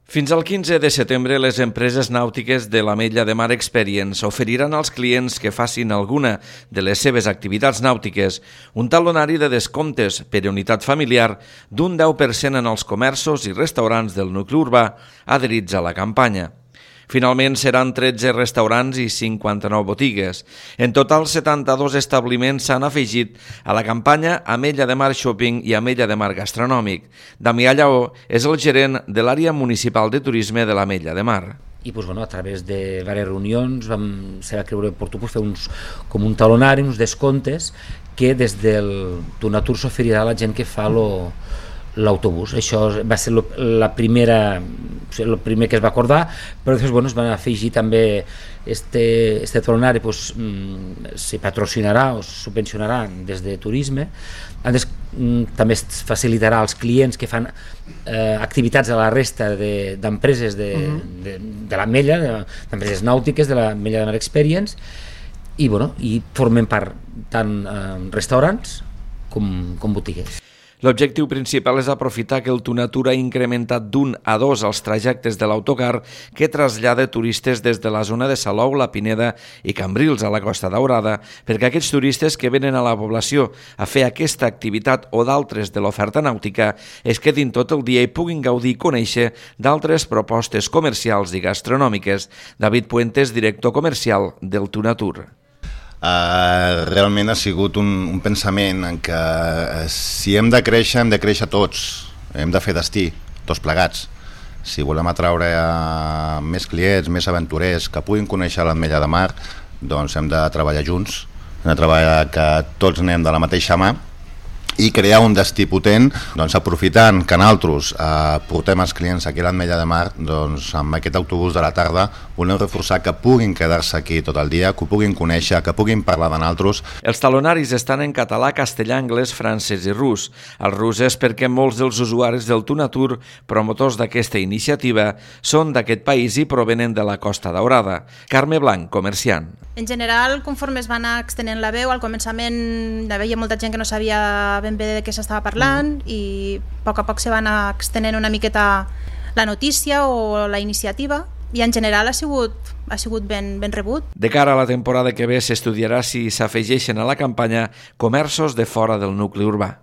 Fins al 15 de setembre, les empreses nàutiques de l'Ametlla de Mar Experience oferiran als clients que facin alguna de les seves activitats nàutiques un talonari de descomptes per unitat familiar d'un 10% en els comerços i restaurants del nucli urbà adherits a la campanya. Finalment seran 13 restaurants i 59 botigues. En total, 72 establiments s'han afegit a la campanya Ametlla de Mar Shopping i Ametlla de Mar Gastronòmic. Damià Lleó és el gerent de l'àrea municipal de turisme de l'Ametlla de Mar. I a través de diverses reunions se va creure oportú fer com un talonari, uns descomptes que des del Tunatur s'oferirà a la gent que fa l'autobús. Això va ser el primer que es va acordar, però després es van afegir també este talonari, se patrocinarà o subvencionarà des de turisme. També es facilitarà als clients que fan activitats a la resta d'empreses de l'Ametlla, d'empreses nàutiques de l'Ametlla de Mar Experience, i formen part tant restaurants com botigues. L'objectiu principal és aprofitar que el Tunatur ha incrementat d'1 a 2 els trajectes de l'autocar que trasllada turistes des de la zona de Salou, la Pineda i Cambrils a la Costa Daurada, perquè aquests turistes que venen a la població a fer aquesta activitat o d'altres de l'oferta nàutica es quedin tot el dia i puguin gaudir i conèixer d'altres propostes comercials i gastronòmiques. David Puentes, director comercial del Tunatur. Realment ha sigut un pensament en què si hem de créixer tots, hem de fer destí, tots plegats. Si volem atraure més clients, més aventurers que puguin conèixer l'Ametlla de Mar, doncs hem de treballar junts, hem de treballar que tots anem de la mateixa mà i crear un destí potent, aprofitant que nosaltres portem els clients aquí a l'Ametlla de Mar, amb aquest autobús de la tarda volem reforçar que puguin quedar-se aquí tot el dia, que ho puguin conèixer, que puguin parlar de nosaltres. Els talonaris estan en català, castellà, anglès, francès i rus. El rus és perquè molts dels usuaris del Tunatur, promotors d'aquesta iniciativa, són d'aquest país i provenen de la Costa Daurada. Carme Blanc, comerciant. En general, conforme es va anar extenent la veu, al començament hi havia molta gent que no sabia ben bé de què s'estava parlant i a poc se va anar extenent una miqueta la notícia o la iniciativa i en general ha sigut ben rebut. De cara a la temporada que ve s'estudiarà si s'afegeixen a la campanya comerços de fora del nucli urbà.